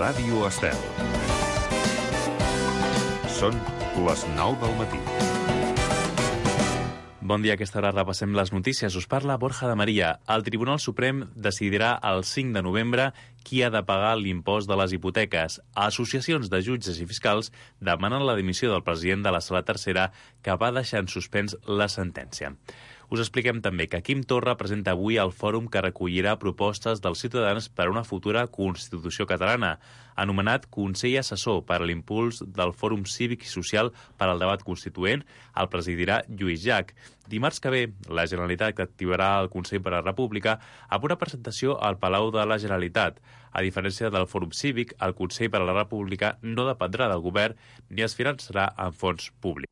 Ràdio Estel. Són les 9 del matí. Bon dia, a aquesta hora repassem les notícies. Us parla Borja de Maria. El Tribunal Suprem decidirà el 5 de novembre qui ha de pagar l'impost de les hipoteques. Associacions de jutges i fiscals demanen la dimissió del president de la Sala Tercera, que va deixar en suspens la sentència. Us expliquem també que Quim Torra presenta avui el fòrum que recollirà propostes dels ciutadans per a una futura Constitució catalana, anomenat Consell Assessor per a l'impuls del Fòrum Cívic i Social per al debat constituent. El presidirà Lluís Llach. Dimarts que ve, la Generalitat activarà el Consell per a la República amb una presentació al Palau de la Generalitat. A diferència del Fòrum Cívic, el Consell per a la República no dependrà del govern ni es finançarà amb fons públics.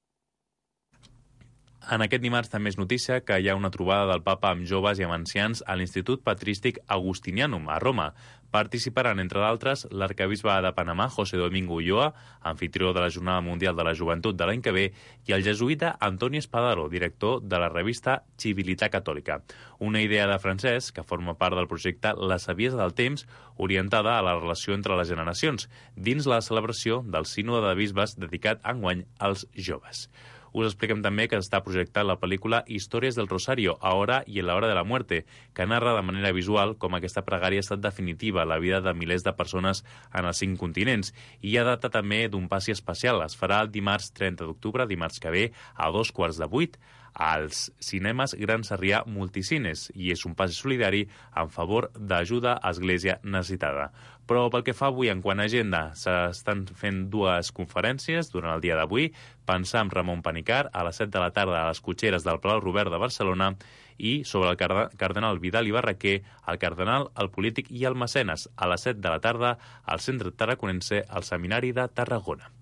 En aquest dimarts també és notícia que hi ha una trobada del papa amb joves i amb ancians a l'Institut Patrístic Agustinianum, a Roma. Participaran, entre d'altres, l'arcabisbe de Panamà, José Domingo Ulloa, anfitrió de la Jornada Mundial de la Joventut de l'any que ve, i el jesuïta Antoni Espadaro, director de la revista Civilitat Catòlica. Una idea de Francesc, que forma part del projecte La Saviesa del Temps, orientada a la relació entre les generacions, dins la celebració del Sínode de Bisbes dedicat enguany als joves. Us expliquem també que està projectant la pel·lícula Històries del Rosario, Ahora y en la hora de la muerte, que narra de manera visual com aquesta pregària ha estat definitiva a la vida de milers de persones en els 5 continents. I hi ha data també d'un passi especial. Es farà el dimarts 30 d'octubre, dimarts que ve, a 7:15, als cinemes Gran Sarrià Multicines, i és un passi solidari en favor d'ajuda a Església necessitada. Però pel que fa avui en quant a agenda, s'estan fent 2 conferències durant el dia d'avui. Pensar amb Ramon Panicar a les 7 de la tarda a les Cotxeres del Palau Robert de Barcelona, i sobre el cardenal Vidal i Barraquer, el cardenal, el polític i el mecenes, a les 7 de la tarda al Centre Tarraconense al Seminari de Tarragona.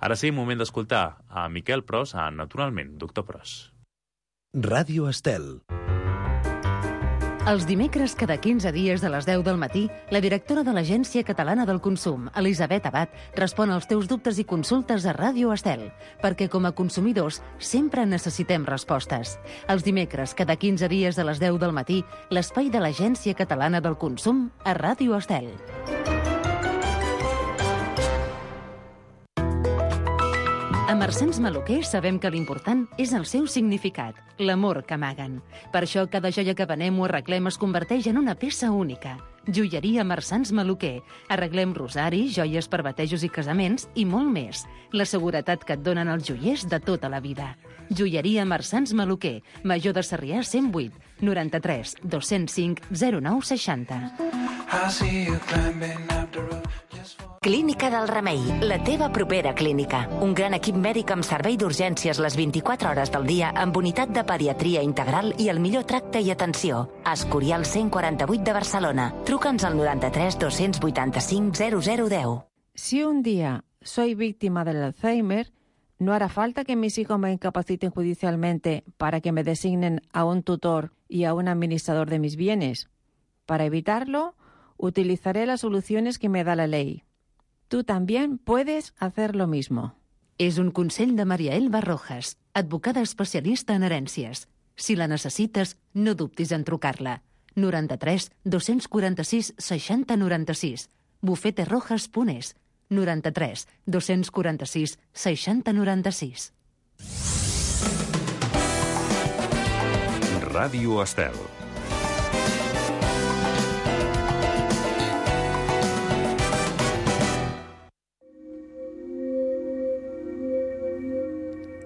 Ara sí, moment d'escoltar a Miquel Pros, a Naturalment, Doctor Pros. Ràdio Estel. Els dimecres, cada 15 dies a les 10 del matí, la directora de l'Agència Catalana del Consum, Elisabet Abad, respon als teus dubtes i consultes a Ràdio Estel, perquè com a consumidors sempre necessitem respostes. Els dimecres, cada 15 dies a les 10 del matí, l'espai de l'Agència Catalana del Consum a Ràdio Estel. A Marsans Maluquer sabem que l'important és el seu significat, l'amor que amaguen. Per això cada joia que venem o arreglem es converteix en una peça única. Joieria Marsans Maluquer. Arreglem rosaris, joies per batejos i casaments i molt més. La seguretat que et donen els joiers de tota la vida. Joieria Marsans Maluquer. Major de Sarrià 108 93 205 0960. Clínica del Remei, la teva propera clínica. Un gran equip mèdic amb servei d'urgències les 24 hores del dia, amb unitat de pediatria integral i el millor tracte i atenció. Escorial 148 de Barcelona. Truca'ns al 93 285 0010. Si un día soy víctima del Alzheimer, no hará falta que mis hijos me incapaciten judicialmente para que me designen a un tutor y a un administrador de mis bienes. Para evitarlo, utilizaré las soluciones que me da la ley. Tú también puedes hacer lo mismo. És un consell de Maria Elba Rojas, advocada especialista en herències. Si la necessites, no dubtis en trucar-la. 93 246 60 96. bufeterojas.es. 93 246 60 96. Ràdio Estel.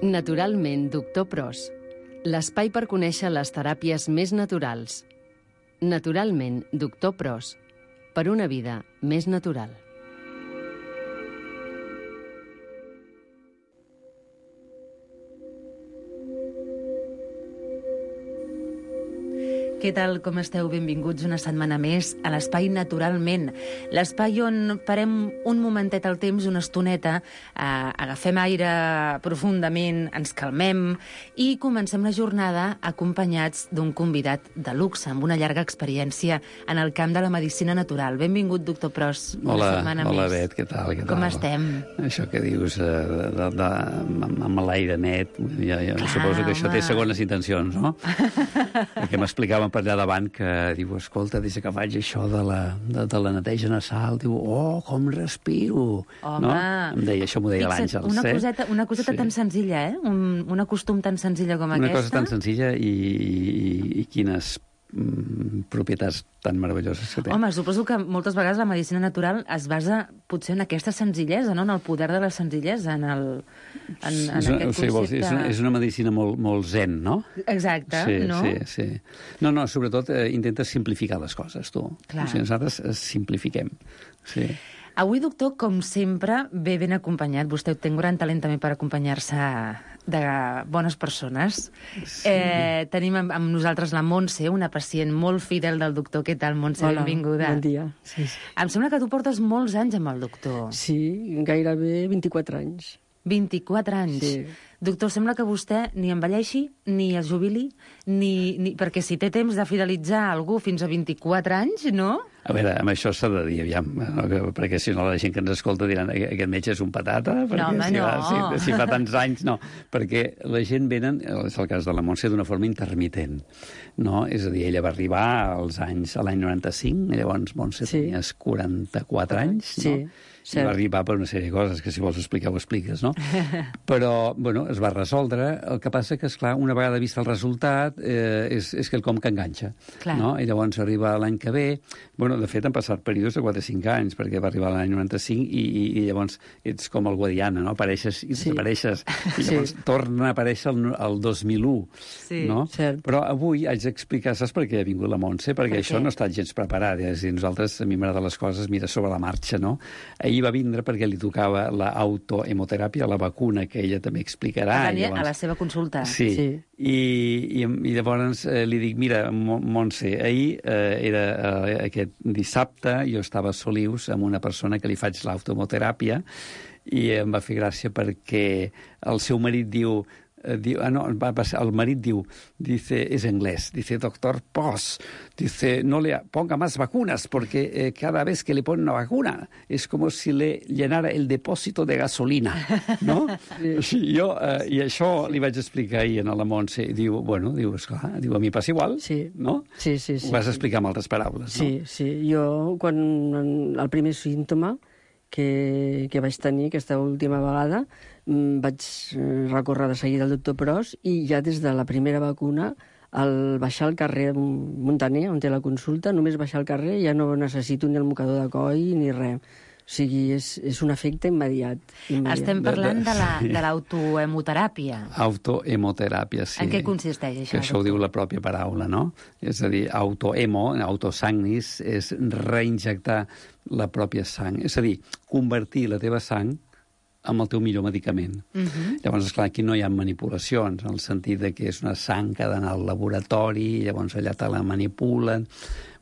Naturalment, Doctor Pros. L'espai per conèixer les teràpies més naturals. Naturalment, Doctor Pros. Per una vida més natural. Què tal, com esteu? Benvinguts una setmana més a l'Espai Naturalment. L'espai on parem un momentet al temps, una estoneta, agafem aire profundament, ens calmem i comencem la jornada acompanyats d'un convidat de luxe, amb una llarga experiència en el camp de la medicina natural. Benvingut, doctor Pros, una setmana més. Hola, Bet, què tal? Com estem? Això que dius, amb l'aire net, jo suposo que això té segones intencions, no? Perquè m'explicaven per allà davant que diu, escolta, des que faig això de la neteja nasal, diu, com respiro. Home. No? Em deia, això m'ho deia l'Àngels. Una coseta tan senzilla, un acostum tan senzilla com aquesta. Una cosa tan senzilla i quines propietats tan meravelloses que té. Home, suposo que moltes vegades la medicina natural es basa potser en aquesta senzillesa, no? En el poder de la senzillesa, en aquest concepte. És una medicina molt zen, no? Exacte, no? Sí. No, sobretot intenta simplificar les coses, tu. Clar. O sigui, nosaltres simplifiquem, sí. Avui, doctor, com sempre, ve ben acompanyat. Vostè té un gran talent també per acompanyar-se de bones persones. Sí. Tenim amb nosaltres la Montse, una pacient molt fidel del doctor. Què tal, Montse? Hola, benvinguda. bon dia. Sí. Em sembla que tu portes molts anys amb el doctor. Sí, gairebé 24 anys. 24 anys. Sí. Doctor, sembla que vostè ni envelleixi, ni es jubili, perquè si té temps de fidelitzar algú fins a 24 anys, no? A veure, amb això s'ha de dir, aviam, perquè si no la gent que ens escolta diran aquest metge és un patata, perquè si fa tants anys, no. Perquè la gent venen, és el cas de la Montse, d'una forma intermitent, no? És a dir, ella va arribar l'any 95, llavors Montse tenies 44 anys, no? I va arribar per una sèrie de coses que si vols explicar ho expliques, no? Però, bueno, es va resoldre. El que passa que, esclar, una vegada vist el resultat, és quelcom que enganxa, no? I llavors arriba l'any que ve. Bueno, de fet, han passat períodes de 4 o 5 anys, perquè va arribar l'any 95 i llavors ets com el Guadiana, no? Apareixes i desapareixes. I llavors torna a aparèixer el 2001, no? Cert. Però avui haig d'explicar, saps per què ha vingut la Montse? Perquè això no ha estat gens preparat. És a dir, nosaltres, a mi m'agrada les coses, mira, sobre la marxa, no? Ahir va vindre perquè li tocava l'autohemoteràpia, la vacuna, que ella també explicarà. A la seva consulta. Sí. I llavors li dic, mira, Montse, ahir era aquest dissabte, jo estava a Solius amb una persona que li faig l'autohemoteràpia i em va fer gràcia perquè el seu marit diu, el marit diu, es inglés, dice, doctor Poss, dice, no le ponga más vacunas, porque cada vez que le pone una vacuna es como si le llenara el depósito de gasolina, no? I això li vaig explicar ahir a la Montse, i diu, esclar, a mi passa igual, no? Sí. Ho vas explicar amb altres paraules, no? Sí. Jo, quan el primer símptoma que vaig tenir aquesta última vegada, vaig recórrer de seguida al doctor Pros i ja des de la primera vacuna, al baixar al carrer Montaner, on té la consulta, només baixar al carrer ja no necessito ni el mocador de coll ni res. O sigui, és un efecte immediat. Estem parlant de l'autohemoteràpia. Autohemoteràpia, sí. En què consisteix això? Que això ho diu la pròpia paraula, no? És a dir, autosagnis, és reinjectar la pròpia sang. És a dir, convertir la teva sang amb el teu millor medicament. Llavors, esclar, aquí no hi ha manipulacions, en el sentit de que és una sang que ha d'anar al laboratori, llavors allà te la manipulen.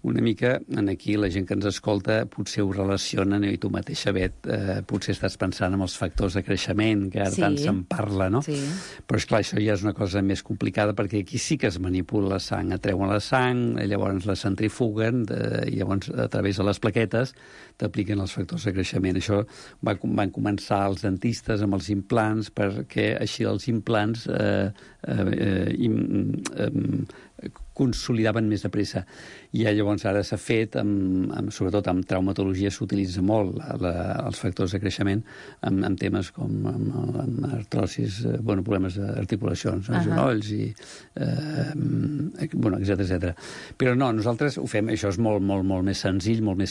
Una mica, aquí la gent que ens escolta potser ho relacionen, i tu mateixa, Bet, potser estàs pensant en els factors de creixement, que ara tant se'n parla, no? Sí. Però, esclar, això ja és una cosa més complicada, perquè aquí sí que es manipula la sang, atreuen la sang, llavors la centrifuguen, i llavors, a través de les plaquetes, t'apliquen els factors de creixement. Això van començar els dentistes amb els implants, perquè així els implants consolidaven més de pressa. I llavors ara s'ha fet, sobretot amb traumatologia, s'utilitza molt els factors de creixement en temes com amb artrosis, problemes d'articulacions, genolls, etc. Però no, nosaltres ho fem, això és molt més senzill, molt més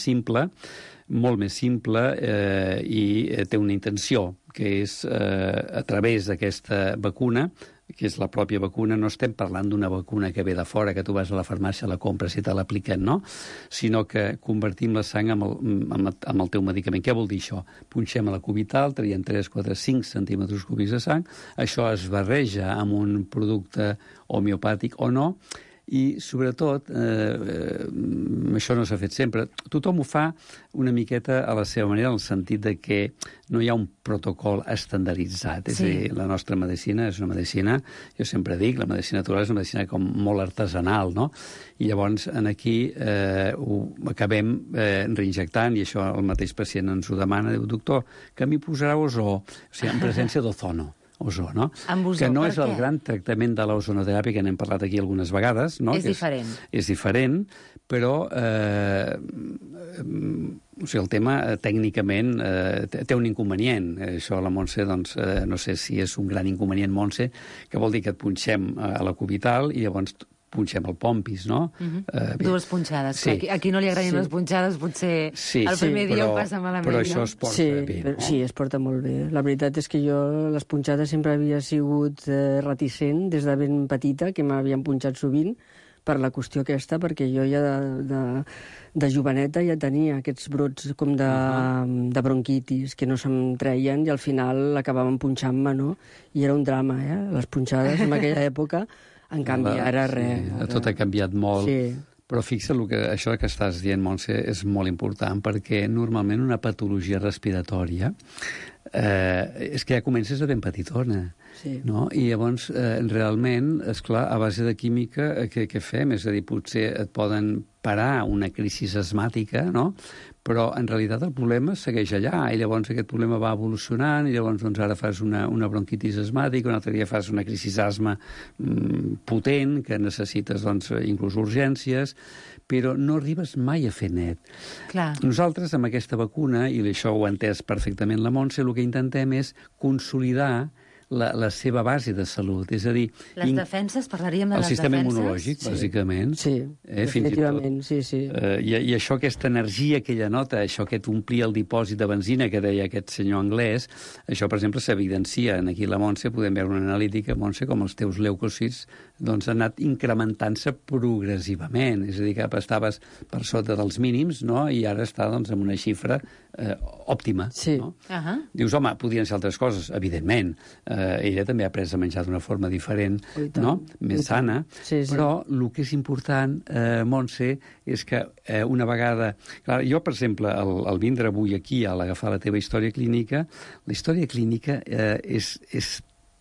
simple, i té una intenció, que és a través d'aquesta vacuna, que és la pròpia vacuna, no estem parlant d'una vacuna que ve de fora, que tu vas a la farmàcia, la compres i te l'apliquen, no? Sinó que convertim la sang amb el teu medicament. Què vol dir això? Punxem a la cubital, traiem 3, 4, 5 centímetres cúbics de sang, això es barreja amb un producte homeopàtic o no, i, sobretot, això no s'ha fet sempre. Tothom ho fa una miqueta a la seva manera, en el sentit de que no hi ha un protocol estandarditzat. És a dir, la nostra medicina és una medicina, jo sempre dic, la medicina natural és una medicina com molt artesanal, no? I llavors, aquí ho acabem reinjectant, i això el mateix pacient ens ho demana, diu, doctor, que m'hi posarà ozó, o sigui, en presència d'ozono. ozó, no? Amb ozó, que no per és el què? gran tractament de l'ozonoteràpia, que n'hem parlat aquí algunes vegades, no? És diferent. És diferent, però o sigui, el tema tècnicament té un inconvenient. Això la Montse, doncs, no sé si és un gran inconvenient, Montse, que vol dir que et punxem a la cubital i llavors punxem el pompis, no? Dues punxades. Sí. A qui no li agradin les punxades, potser el primer dia ho passa malament. Però això es porta bé, no? Sí, es porta molt bé. La veritat és que jo les punxades sempre havia sigut reticent des de ben petita, que m'havien punxat sovint, per la qüestió aquesta, perquè jo ja de joveneta ja tenia aquests brots com de bronquitis que no se'm treien i al final acabaven punxant-me, no? I era un drama, les punxades en aquella època. En canvi, ara res. Sí, tot ha canviat molt. Sí. Però fixa't, això que estàs dient, Montse, és molt important, perquè normalment una patologia respiratòria és que ja comences de ben petitona. Sí. No? I llavors, realment, esclar, a base de química, què fem? És a dir, potser et poden parar una crisi asmàtica, no? Però en realitat el problema segueix allà, i llavors aquest problema va evolucionant, i llavors doncs, ara fas una bronquitis asmàtica, un altre dia fas una crisi asma potent, que necessites doncs, inclús urgències, però no arribes mai a fer net. Clar. Nosaltres, amb aquesta vacuna, i això ho ha entès perfectament la Montse, el que intentem és consolidar la seva base de salut. És a dir... Les defenses, parlaríem de les defenses? El sistema immunològic, bàsicament. Sí, definitivament, sí. I això, aquesta energia que ella nota, això que t'omplia el dipòsit de benzina que deia aquest senyor anglès, això, per exemple, s'evidencia. Aquí la Montse podem veure una analítica, Montse, com els teus leucòcits doncs, han anat incrementant-se progressivament. És a dir, que estaves per sota dels mínims, no? I ara està doncs, en una xifra òptima. Sí. No? Dius, home, podrien ser altres coses, evidentment. Ella també ha après a menjar d'una forma diferent, no? Més sana, però el que és important, Montse, és que una vegada... Clar, jo, per exemple, al vindre avui aquí, a l'agafar la teva història clínica, la història clínica és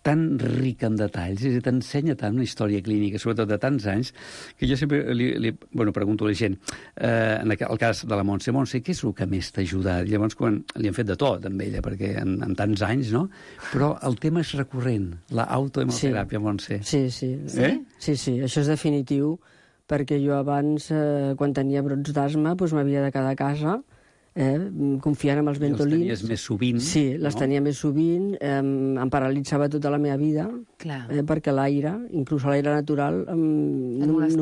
tan rica en detalls, t'ensenya tant una història clínica, sobretot de tants anys, que jo sempre pregunto a la gent, en el cas de la Montse, què és el que més t'ha ajudat? Llavors, quan li hem fet de tot amb ella, perquè en tants anys, no? Però el tema és recurrent, la autohemoteràpia, Montse. Sí, això és definitiu, perquè jo abans, quan tenia brots d'asma, m'havia de quedar a casa, confiant en els Ventolins. Els tenies més sovint. Sí, les tenia més sovint. Em paralitzava tota la meva vida, perquè l'aire, inclús l'aire natural, només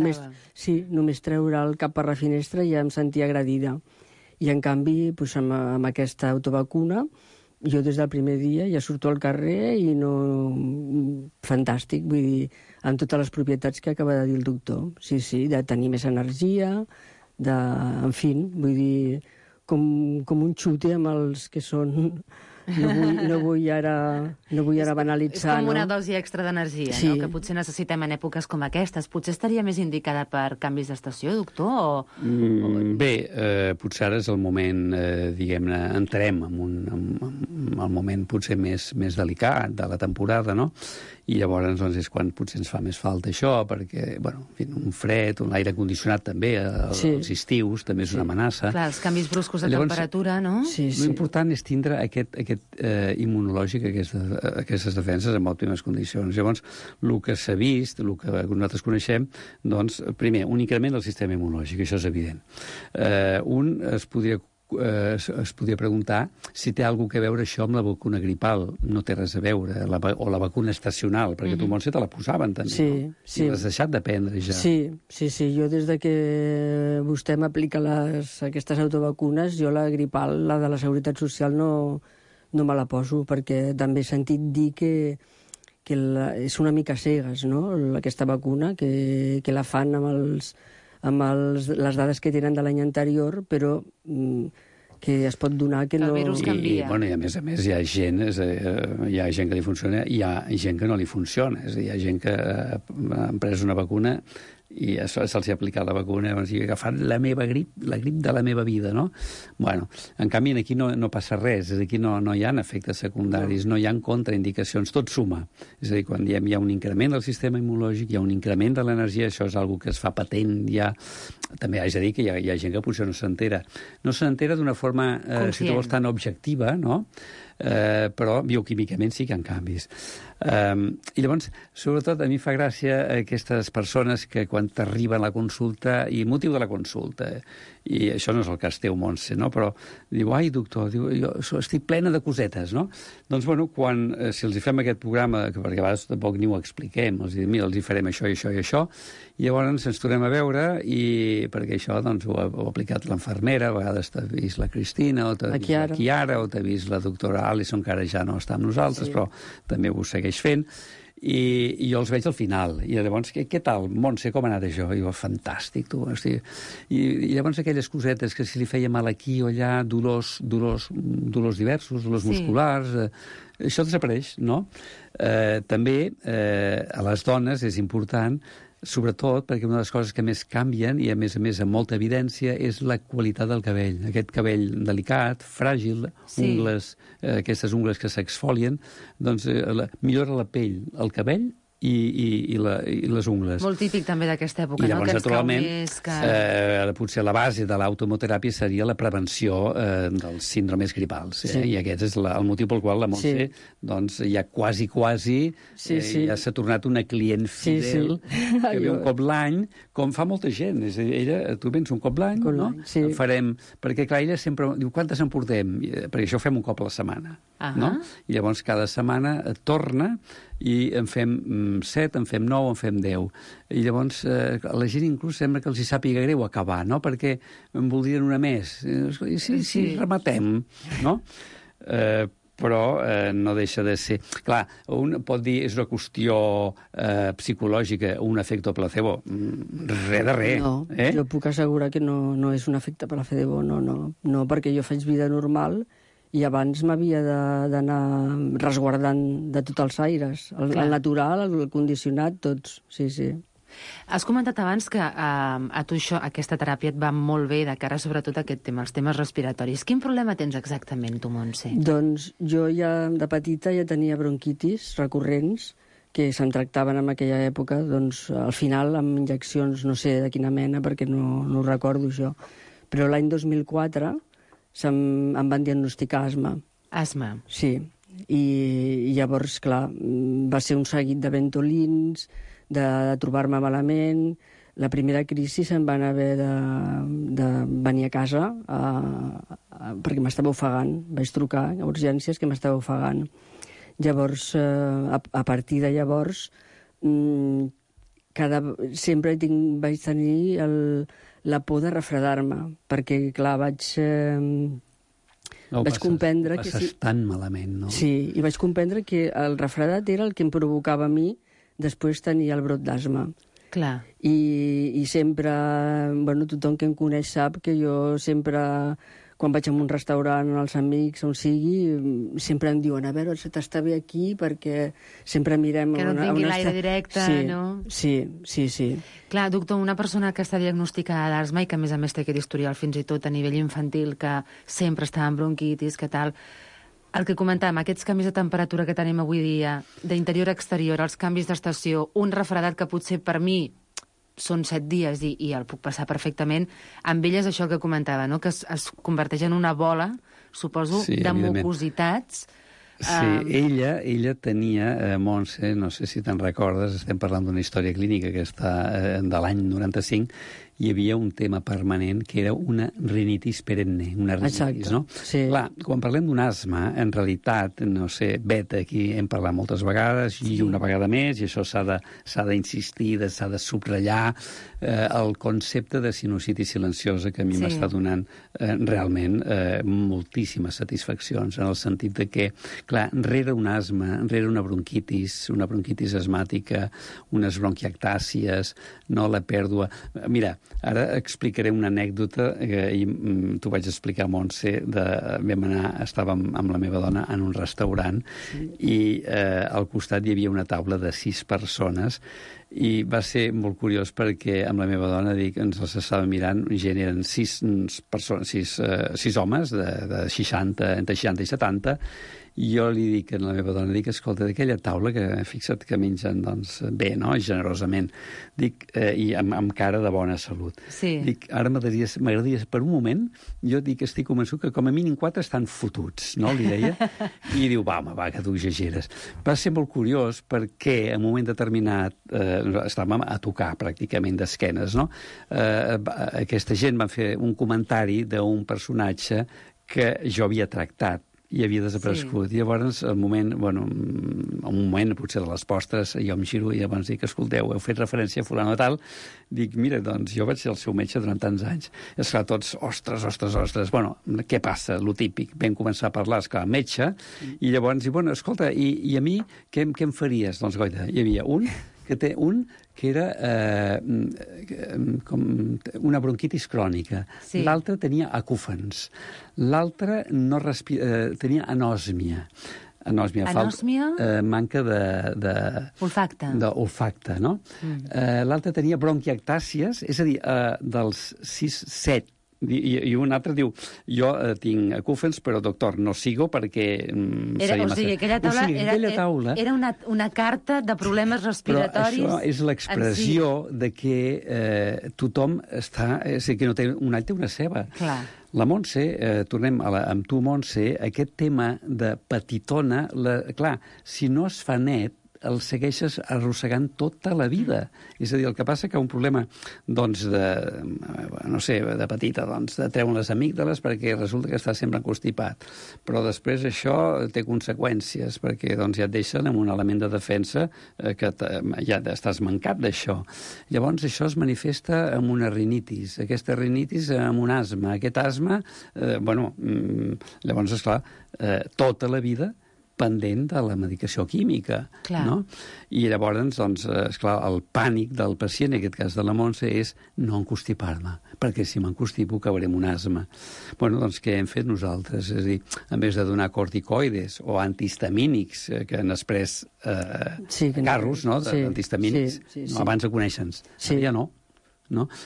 treure el cap per la finestra ja em sentia agredida. I en canvi, amb aquesta autovacuna, jo des del primer dia ja surto al carrer i no... Fantàstic, vull dir, amb totes les propietats que acaba de dir el doctor. Sí, de tenir més energia, en fi, vull dir... com un xute amb els que són... No vull ara banalitzar. És com una dosi extra d'energia, no? Que potser necessitem en èpoques com aquestes. Potser estaria més indicada per canvis d'estació, doctor? Bé, potser ara és el moment, diguem-ne, entrem en el moment potser més delicat de la temporada, no? I llavors doncs, és quan potser ens fa més falta això, perquè, un fred, l'aire condicionat també, els estius, també és una amenaça. Clar, els canvis bruscos de temperatura, no? L'important és tindre aquest immunològic, aquestes defenses en òptimes condicions. Llavors, el que s'ha vist, el que nosaltres coneixem, doncs, primer, un increment del sistema immunològic, això és evident. Es podria preguntar si té alguna cosa a veure això amb la vacuna gripal. No té res a veure. O la vacuna estacional, perquè tu, Montse, te la posaven també, no? I l'has deixat de prendre ja. Sí. Jo des de que vostè m'aplica aquestes autovacunes, jo la gripal, la de la Seguretat Social, no me la poso, perquè també he sentit dir que és una mica cegues, no?, aquesta vacuna, que la fan amb les dades que tenen de l'any anterior, però que es pot donar que no... El virus canvia. I a més hi ha gent que li funciona i hi ha gent que no li funciona. És a dir, hi ha gent que ha pres una vacuna i se'ls ha aplicat la vacuna, i ha agafat la grip de la meva vida, no? En canvi, aquí no passa res, aquí no hi ha efectes secundaris, no hi ha contraindicacions, tot suma. És a dir, quan diem hi ha un increment del sistema immunològic, hi ha un increment de l'energia, això és una que es fa patent ja. També haig de dir que hi ha gent que potser no s'entera. No s'entera d'una forma, si tu vols, tan objectiva, no? però bioquímicament sí que hi ha canvis. I llavors, sobretot, a mi fa gràcia aquestes persones que quan t'arriben a la consulta, i motiu de la consulta, i això no és el cas teu, Montse, no? Però diu, ai, doctor, jo estic plena de cosetes, no? Doncs, bueno, si els hi fem aquest programa, perquè a vegades tampoc ni ho expliquem, els diuen, mira, els hi farem això i això i això, i llavors ens tornem a veure, i perquè això doncs, ho ha aplicat l'infermera, a vegades t'ha vist la Cristina, o t'ha vist la Chiara, o t'ha vist la doctora Alison, que ara ja no està amb nosaltres, però també ho segueix fent, i jo els veig al final, i llavors, què tal, Montse, com ha anat això? I jo, fantàstic, tu, hosti. I llavors aquelles cosetes que si li feia mal aquí o allà, dolors diversos, dolors musculars, això desapareix, no? També a les dones és important, sobretot perquè una de les coses que més canvien, i a més amb molta evidència, és la qualitat del cabell. Aquest cabell delicat, fràgil, ungles, aquestes ungles que s'exfolien, doncs millora la pell, el cabell i les ungles. Molt típic també d'aquesta època, no? Que ens cau naturalment, més potser la base de l'automoteràpia seria la prevenció dels síndromes gripals. I aquest és el motiu pel qual la Montse doncs, ja quasi ja s'ha tornat una client fidel que ve un cop l'any, com fa molta gent. Tu vens un cop l'any, no? Farem, perquè clar, ella sempre diu, quantes en portem? Perquè això ho fem un cop a la setmana. No? I llavors cada setmana torna i en fem 7, en fem 9, en fem 10. I llavors a la gent inclús sembla que els hi sàpiga greu acabar, no? Perquè en voldrien una més. Sí, rematem, no? Però no deixa de ser... Clar, un pot dir és una qüestió psicològica, un efecte placebo. Res de res. No, jo puc assegurar que no és un efecte placebo, no, perquè jo faig vida normal i abans m'havia d'anar resguardant de tots els aires. El natural, el condicionat, tots, sí. Has comentat abans que a tu aquesta teràpia et va molt bé de cara sobretot a aquest tema, els temes respiratoris. Quin problema tens exactament, tu, Montse? Doncs jo ja de petita ja tenia bronquitis recurrents que se'm tractaven en aquella època, doncs al final amb injeccions, no sé de quina mena, perquè no ho recordo això. Però l'any 2004 em van diagnosticar asma. Asma? Sí. I llavors, clar, va ser un seguit de ventolins, de trobar-me malament. La primera crisi se'n van haver de venir a casa perquè m'estava ofegant. Vaig trucar a urgències que m'estava ofegant. Llavors, a partir de llavors, sempre vaig tenir la por de refredar-me, perquè, clar, vaig comprendre que... Passes tan malament, no? Sí, i vaig comprendre que el refredat era el que em provocava a mi després tenir el brot d'asma. Clar. I sempre, tothom que em coneix sap que jo sempre, quan vaig a un restaurant, als amics, on sigui, sempre em diuen, a veure, t'està bé aquí, perquè sempre mirem... Que no tingui l'aire directe, no? Sí. Clar, doctor, una persona que està diagnosticada d'asma i que, a més té aquest historial fins i tot a nivell infantil, que sempre està amb bronquitis, que tal... El que comentàvem, aquests canvis de temperatura que tenim avui dia, d'interior a exterior, els canvis d'estació, un refredat que potser per mi són 7 dies i el puc passar perfectament, amb ell és això que comentava, no? Que es converteix en una bola, suposo, de mucositats. Sí, ella tenia, Montse, no sé si te'n recordes, estem parlant d'una història clínica que està de l'any 95, hi havia un tema permanent que era una rinitis perenne, una rinitis, no? Sí. Clar, quan parlem d'un asma, en realitat, no sé, beta, aquí hem parlat moltes vegades, i una vegada més, i això s'ha d'insistir, s'ha de subratllar, el concepte de sinusitis silenciosa que a mi m'està donant realment moltíssimes satisfaccions, en el sentit de que, clar, rere un asma, rere una bronquitis asmàtica, unes bronquiectàcies, no la pèrdua... Mira, ara explicaré una anècdota que ahir t'ho vaig explicar, Montse, estàvem amb la meva dona en un restaurant i al costat hi havia una taula de 6 persones I va ser molt curiós perquè amb la meva dona, ens els estava mirant, gent, eren 6 homes de 60, entre 60 i 70, i jo li dic a la meva dona, escolta, d'aquella taula, que fixa't que mengen doncs, bé, no?, generosament, i amb cara de bona salut. Sí. Ara m'agradaria, per un moment, jo estic convençut que com a mínim 4 estan fotuts, no?, li deia, i diu, va, que tu exageres. Va ser molt curiós perquè en un moment determinat estàvem a tocar pràcticament d'esquenes, no? Aquesta gent va fer un comentari d'un personatge que jo havia tractat i havia desaparegut. Sí. I llavors, un moment, potser de les postres, jo em giro i llavors dic, escolteu, heu fet referència a fulano tal, dic, mira, doncs jo vaig ser el seu metge durant tants anys. I esclar, tots, ostres, bueno, què passa? Lo típic. Vam començar a parlar, esclar, metge, i llavors dic, bueno, escolta, i a mi què em faries? Doncs, goita, hi havia un que era com una bronquitis crònica. Sí. L'altre tenia acúfens. L'altre tenia anòsmia. Anòsmia? Manca de... Olfacte. D'olfacte, no? L'altre tenia bronquiectàcies, és a dir, dels 6-7. I un altre diu, jo tinc acúfens, però doctor, no sigo perquè seria massa... Aquella taula era una carta de problemes respiratoris... Però això és l'expressió de que tothom està... És a dir, que no té un all, té una ceba. Clar. La Montse, tornem amb tu, Montse, aquest tema de petitona, clar, si no es fa net, el segueixes arrossegant tota la vida. És a dir, el que passa que un problema, doncs, de petita, doncs, de treure les amígdales perquè resulta que està sempre encostipat. Però després això té conseqüències, perquè doncs, ja et deixen amb un element de defensa que ja estàs mancat d'això. Llavors això es manifesta amb una rinitis. Aquesta rinitis amb un asma. Aquest asma, llavors, esclar, tota la vida pendent de la medicació química. Clar. No? I llavors, doncs, esclar, el pànic del pacient, en aquest cas de la Montse, és no encostipar-me, perquè si m'encostipo cauré en un asma. Bueno, doncs què hem fet nosaltres? És a dir, en vez de donar corticoides o antihistamínics, que han pres carros, no?, antihistamínics, abans de conèixer-nos. Ja no.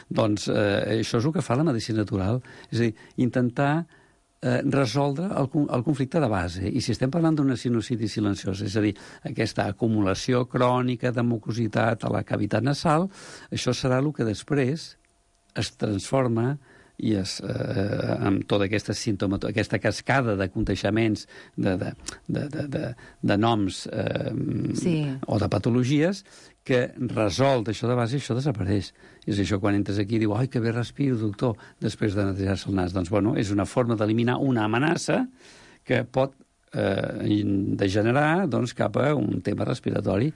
Doncs això és el que fa la medicina natural. És a dir, intentar resoldre el conflicte de base. I si estem parlant d'una sinusitis silenciosa, és a dir, aquesta acumulació crònica de mucositat a la cavitat nasal, això serà el que després es transforma i amb tota aquesta aquesta cascada de contagiaments de noms o de patologies que resol això de base i això desapareix. És això quan entres aquí i diu, ai, que bé respiro, doctor, després de netejar-se el nas. Doncs, bueno, és una forma d'eliminar una amenaça que pot degenerar doncs, cap a un tema respiratori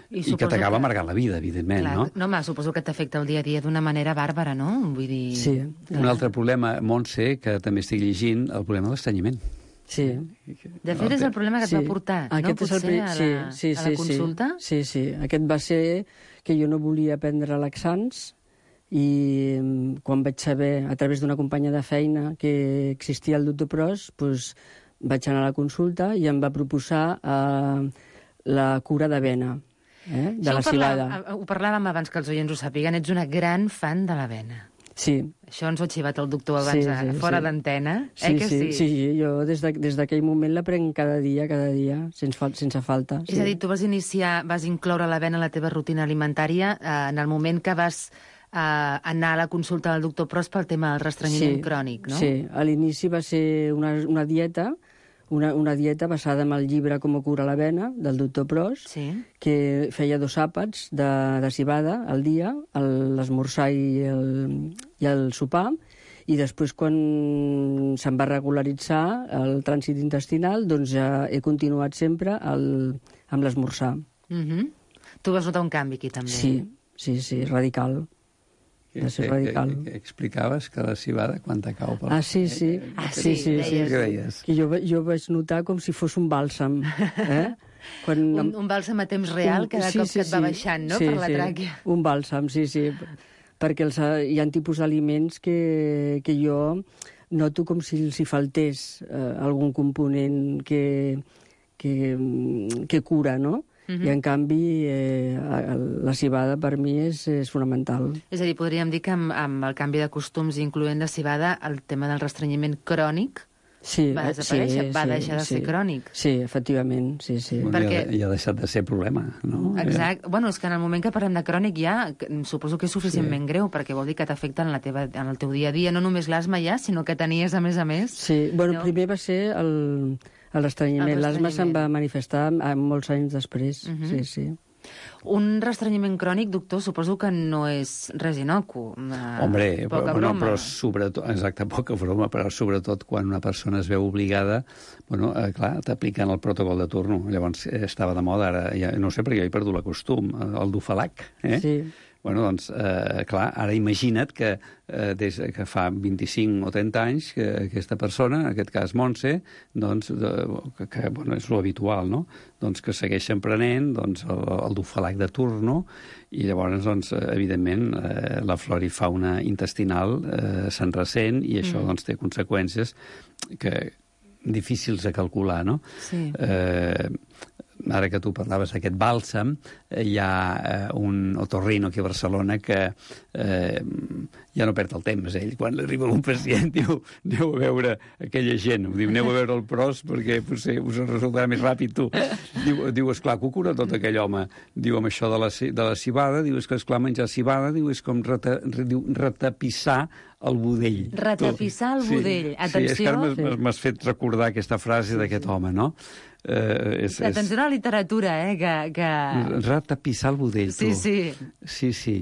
i que t'acaba amargant la vida, evidentment, clar, no? No, home, suposo que t'afecta el dia a dia d'una manera bàrbara, no? Vull dir... Sí. Un altre problema, Montse, que també estic llegint, el problema de l'estrenyiment. Sí. De fet, és el problema que et va portar, no? Potser a la consulta? Sí. Aquest va ser que jo no volia prendre laxants i quan vaig saber, a través d'una companya de feina, que existia el doctor Pros, doncs vaig anar a la consulta i em va proposar la cura de vena, de la civada. Ho parlàvem abans que els oients ho sàpiguen, ets una gran fan de l'avena. Sí. Això ens ho ha xivat el doctor abans, fora d'antena, que sí? Sí, jo des d'aquell moment la prenc cada dia, sense falta. És a dir, tu vas incloure l'avena a la teva rutina alimentària en el moment que vas anar a la consulta del doctor Pros pel tema del restrenyiment crònic, no? Sí, a l'inici va ser una dieta, una dieta basada en el llibre Com cura l'avena, del doctor Pros, que feia 2 àpats de civada al dia, l'esmorzar i el sopar, i després, quan se'm va regularitzar el trànsit intestinal, doncs ja he continuat sempre amb l'esmorzar. Tu vas notar un canvi aquí, també? Sí, radical. Explicaves que la civada quan cau pel... Sí. Què deies? Que jo vaig notar com si fos un bàlsam. Un bàlsam a temps real, cada cop que et va baixant, no?, per la tràquea. Un bàlsam, sí. Perquè hi ha tipus d'aliments que jo noto com si els hi faltés algun component que cura, no? I, en canvi, la cibada per mi és fonamental. És a dir, podríem dir que amb el canvi de costums, incloent la cibada, el tema del restrenyiment crònic va desaparèixer, va deixar de ser crònic. Sí, efectivament, sí. Bueno, perquè... ja ha deixat de ser problema, no? Exacte. Bueno, és que en el moment que parlem de crònic ja, suposo que és suficientment greu, perquè vol dir que t'afecta en el teu dia a dia, no només l'asma ja, sinó que tenies, a més, Sí, bueno, primer va ser el restrenyiment. L'asma se'n va manifestar molts anys després, sí. Un restrenyiment crònic, doctor, suposo que no és res inocu. Hombre, broma. Però sobretot, exacte, poca broma, però sobretot quan una persona es veu obligada, bueno, clar, t'apliquen el protocol de turno. Llavors estava de moda, ara ja, no sé, perquè jo he perdut la costum, el dufalac, Sí. Bueno, doncs, clar, ara imagina't que des que fa 25 o 30 anys que aquesta persona, en aquest cas Montse, doncs, que bueno, és lo habitual, no? Doncs que segueixen prenent doncs, el dufalac de turno i llavors, doncs, evidentment, la flora i fauna intestinal se'n ressent i això doncs, té conseqüències difícils de calcular, no? Sí. Ara que tu parlaves d'aquest bàlsam, hi ha un otorrino aquí a Barcelona que ja no perd el temps. Ell, quan li arriba un pacient, diu, aneu a veure aquella gent. Diu, aneu a veure el pros perquè potser us resultarà més ràpid tu. Diu, esclar, que ho cura tot aquell home. Diu, amb això de la cibada, diu, és que, esclar, menjar cibada, diu, és com retapissar el budell. Retapissar el budell. Atenció. Sí, és que ara m'has fet recordar aquesta frase d'aquest home, no? Atenció a la literatura, que... Retapissar el budell, tu. Sí.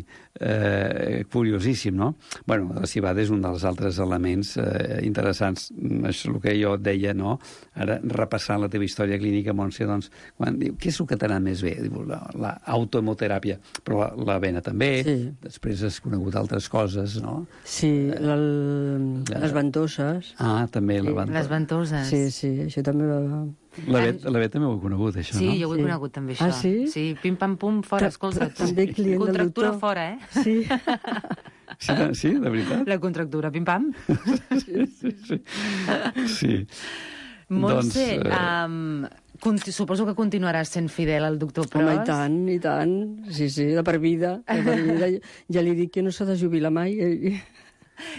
Curiosíssim, no? Bueno, la cibada és un dels altres elements interessants. És el que jo et deia, no? Ara, repassant la teva història clínica, Montse, doncs, quan diu, què és el que t'ha anat més bé? Diu, l'autohemoteràpia, però la vena també, després has conegut altres coses, no? Sí, les ventoses. Ah, també les ventoses. Sí, això també va... La Bet també ho he conegut, això, no? Sí, jo ho he conegut, també, això. Ah, sí? Sí, pim-pam-pum, fora, escolta. També client del doctor. Contractura fora, Sí. Sí, de veritat? La contractura, pim-pam. Sí. Montse, suposo que continuaràs sent fidel al doctor Pros. Home, i tant. Sí, de per vida. Ja li dic que no s'ha de jubilar mai.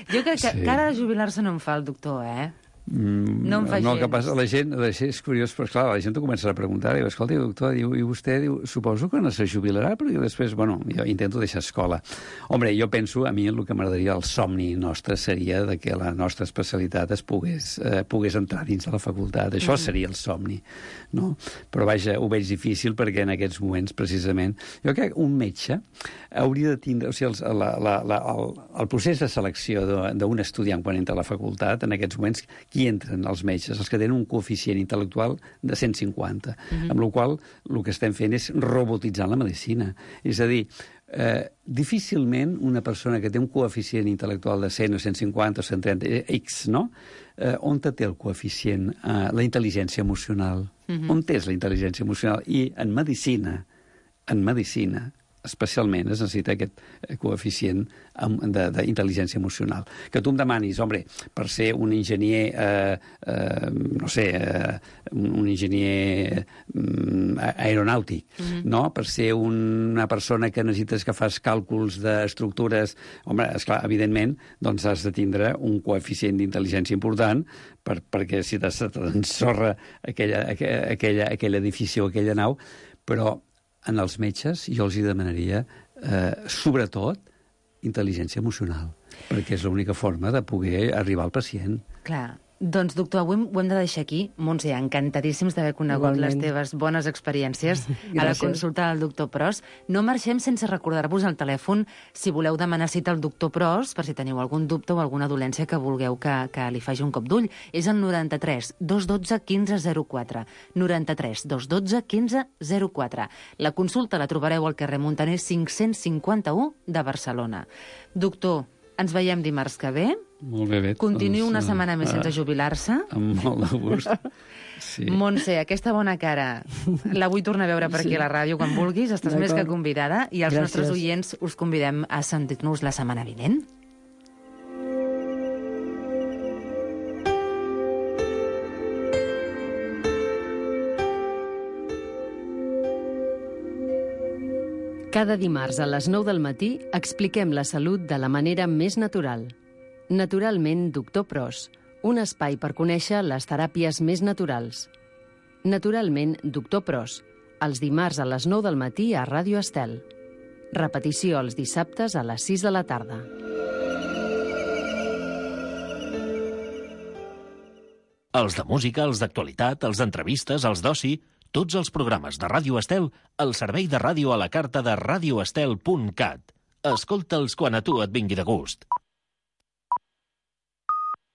Jo crec que cara de jubilar-se no em fa el doctor, No em fa gens. El que passa, la gent és curiós, però clar, la gent t'ho comença a preguntar, diu, escolta, doctor, i vostè, diu, suposo que no se jubilarà, però després, bueno, jo intento deixar escola. Hombre, jo penso, a mi el que m'agradaria, el somni nostre seria de que la nostra especialitat es pogués entrar dins de la facultat. Això seria el somni, no? Però vaja, ho veig difícil perquè en aquests moments, precisament, jo crec que un metge hauria de tindre, o sigui, el procés de selecció d'un estudiant quan entra a la facultat, en aquests moments, qui entren els metges? Els que tenen un coeficient intel·lectual de 150, amb la qual cosa el que estem fent és robotitzar la medicina. És a dir, difícilment una persona que té un coeficient intel·lectual de 100 o 150 o 130, X, no? On té el coeficient? La intel·ligència emocional. On és la intel·ligència emocional? I en medicina, especialment es necessita aquest coeficient d'intel·ligència emocional. Que tu em demanis, home, per ser un enginyer, un enginyer aeronàutic, no? Per ser una persona que necessites que fas càlculs d'estructures, home, esclar, evidentment, doncs has de tindre un coeficient d'intel·ligència important perquè si t'ensorra aquell edifici o aquella nau, però en els metges jo els hi demanaria, sobretot, intel·ligència emocional, perquè és l'única forma de poder arribar al pacient. Clar. Doncs, doctor, avui ho hem de deixar aquí. Montse, encantadíssims d'haver conegut les teves bones experiències a la consulta del doctor Pros. No marxem sense recordar-vos el telèfon si voleu demanar cita al doctor Pros, per si teniu algun dubte o alguna dolència que vulgueu que li faci un cop d'ull. És el 93 212 1504. 93 212 1504. La consulta la trobareu al carrer Montaner 551 de Barcelona. Doctor, ens veiem dimarts que ve. Molt bé, Bet. Continuï una setmana més sense jubilar-se. Amb molt de gust. Sí. Montse, aquesta bona cara la vull tornar a veure per aquí a la ràdio quan vulguis. Estàs més que convidada. I els nostres oients us convidem a sentir-nos la setmana vinent. Cada dimarts a les 9 del matí expliquem la salut de la manera més natural. Naturalment, Doctor Pros, un espai per conèixer les teràpies més naturals. Naturalment, Doctor Pros, els dimarts a les 9 del matí a Ràdio Estel. Repetició els dissabtes a les 6 de la tarda. Els de música, els d'actualitat, els d'entrevistes, els d'oci, tots els programes de Ràdio Estel al servei de ràdio a la carta de radioestel.cat. Escolta'ls quan a tu et vingui de gust.